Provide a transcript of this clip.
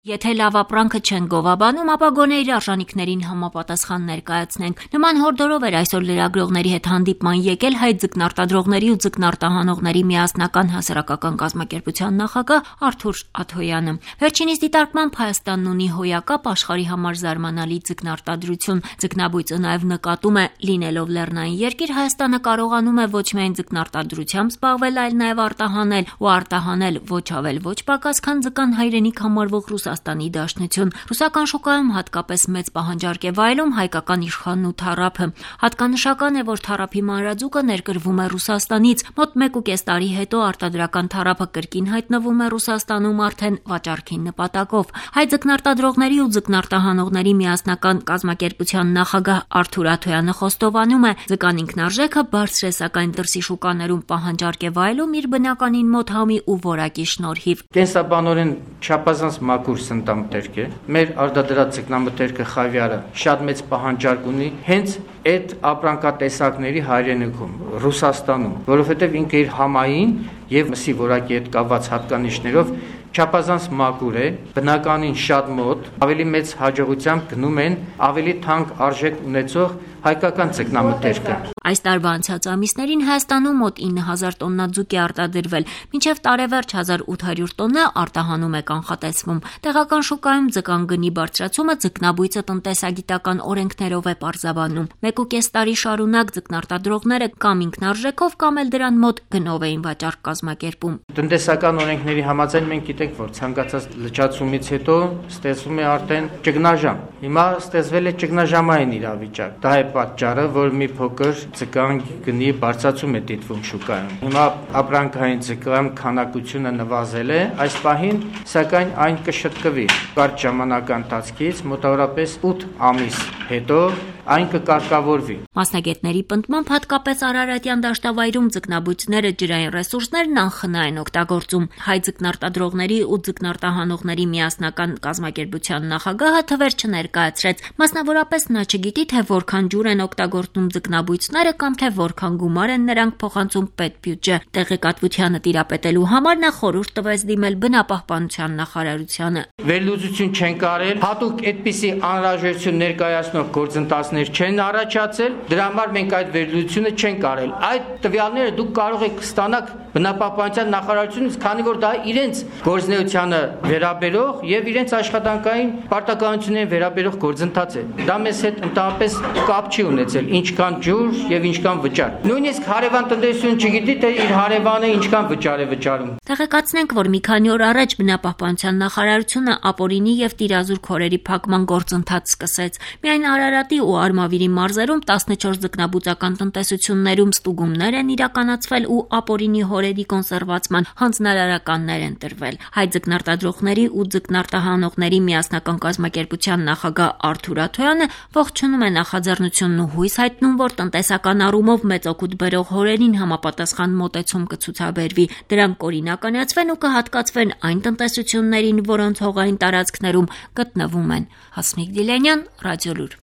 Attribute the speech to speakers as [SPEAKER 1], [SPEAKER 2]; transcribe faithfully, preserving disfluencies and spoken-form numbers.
[SPEAKER 1] Եթե լավ ապրանքը չեն գովաբանում, ապա գոնե իր արժանիքներին համապատասխան ներկայացնենք։ Նման հորդորով էր այսօր լրագրողների հետ հանդիպման եկել հայ ձկնարտադրողների ու ձկնարտահանողների միասնական հասարակական կազմակերպության նախագահ Արթուր Աթոյանը։ Վերջինիս դիտարկմամբ Հայաստանն ունի հոյակապ աշխարհի համար զարմանալի ձկնարտադրություն։ Ձկնաբույծը նաև նկատում է, լինելով լեռնային երկիր, Հայաստանը կարողանում է ոչ միայն ձկնարտադրությամբ զբաղվել, այլ նաև արտահանել ու արտահանել ոչ ավել ոչ պակաս, քան ձկան հայրենիք համարվող Ռուսաստանի Դաշնություն։ Ռուսական շուկայում հատկապես մեծ պահանջարկ է վայելում հայկական իշխանն ու թառափը։ Հատկանշական է, որ թառափի մանրաձուկը ներկրվում է Ռուսաստանից։ Մոտ մեկ ու կես տարի հետո արտադրական թառափը կրկին հայտնվում է Ռուսաստանում արդեն վաճառքի նպատակով։ Հայ ձկնարտադրողների ու ձկնարտահանողների միասնական կազմակերպության նախագահ Արթուր Աթոյանը խոստովանում է, ձկան ինքնարժեքը բարձր է, սակայն դրսի շուկաներում պահանջարկ է վայելում իր բնականին մոտ համի ու որակի շնորհիվ։
[SPEAKER 2] Կենսաբանորեն չափազանց մաքուր սննդամթերք է։ Մեր արտադրած ձկնամթերքը խավիարը շատ մեծ պահանջարկ ունի հենց այդ ապրանքատեսակների հայրենիքում Ռուսաստանում, որովհետև ինքը իր համային եւ մսի որակի հետ կապված հատկանիշներով չափազանց մաքուր է, բնականին շատ մոտ, ավելի մեծ հաջողությամբ գնում են ավելի թանկ արժեք ունեցող հայկական ձկնամթերքը։
[SPEAKER 1] Այս տարվա անցած ամիսներին Հայաստանում մոտ ինը հազար տոննա ձուկ է արտադրվել, մինչև տարեվերջ հազար ութ հարյուր տոննա արտահանում է կանխատեսվում։ Տեղական շուկայում ձկան գնի բարձրացումը ձկնաբույծը տնտեսագիտական օրենքներով է պարզաբանում։ Մեկ ու կես տարի շարունակ ձկնարտադրողները կամ ինքնարժեքով կամ էլ դրան մոտ գնով էին վաճառք կազմակերպում։
[SPEAKER 2] Տնտեսական օրենքների համաձայն մենք գիտենք, որ ցանկացած լճացումից հետո ստեղծվում է արդեն ճգնաժամ։ Հիմա ստեղծվել է ճգնաժամային իրավիճակ։ Դա է պատճառը, որ մի փոքր ձկան գնի բարձրացում է դիտվում շուկայում։ Հիմա ապրանքային ձկան քանակությունը նվազել է այս պահին, սակայն այն կշտկվի։ Կարճ ժամանակ ընթացքից մոտավորապես ութ ամիս հետո այն կկարգավորվի։
[SPEAKER 1] Մասնագետների պնդմամբ հատկապես Արարատյան դաշտավայրում ձկնաբույծները ջրային ռեսուրսներն անխնա են օգտագործում։ Հայ ձկնարտադրողների ու ձկնարտահանողների միասնական կազմակերպության նախագահը թվեր չներկայացրեց։ Մասնավորապես նա չգիտի, թե որքան ջուր են օգտագործում ձկնաբույծները կամ թե որքան գումար են նրանք փոխանցում պետբյուջե։ Տեղեկատվությանը տիրապետելու համար նա խորհուրդ տվեց դիմել բնապահպանության նախարարությանը։
[SPEAKER 2] Վերլուծություն չեն կարել, հատուկ այդպիսի անհրաժեշտություն ներկայացնող գործընթացներ չեն առաջացել, դրա համար մենք այդ վերլուծությունը չենք կարել։ Այդ տվյալները դուք կարող եք ստանալ բնապահպանության նախարարությունից, քանի որ դա իրենց գործնեությանը վերաբերող եւ իրենց աշխատանքային պարտականություններին վերաբերող գործընթաց է։ Դա մեզ հետ ընդհանրապես կապ չի ունեցել, ինչքան ջուր եւ ինչքան վճար։ Նույնիսկ հարևան տնտեսությունը չգիտի, թե իր հարևանը ինչքան վճար է վճարում։
[SPEAKER 1] Տեղեկացնենք, որ մի քանի օր առաջ բնապահպանության նախարարությունը ապօրինի եւ տիրազուր քորերի փակման գործընթաց սկսեց։ Միայն Արարատի ու Արմավիրի մարզերում տասնչորս ձկնաբուծական տնտեսություններում ստուգումներ են իրականացվել ու ապօրինի հորերի կոնսերվացման հանձնարարականներ են տրվել։ Հայ ձկնարտադրողների ու ձկնարտահանողների միասնական կազմակերպության նախագահ Արթուր Աթոյանը ողջունում է նախաձեռնությունն ու հույս հայտնում, որ տնտեսական առումով մեծ օգուտ բերող հորերին համապատասխան մոտեցում կցուցաբերվի։ Դրանք կօրինականացվեն ու կհատկացվեն այն տնտեսություններին, որոնց հողային տարածքներում գտնվում են։ Հասմիկ Դիլյանյան, Ռադիոլուր։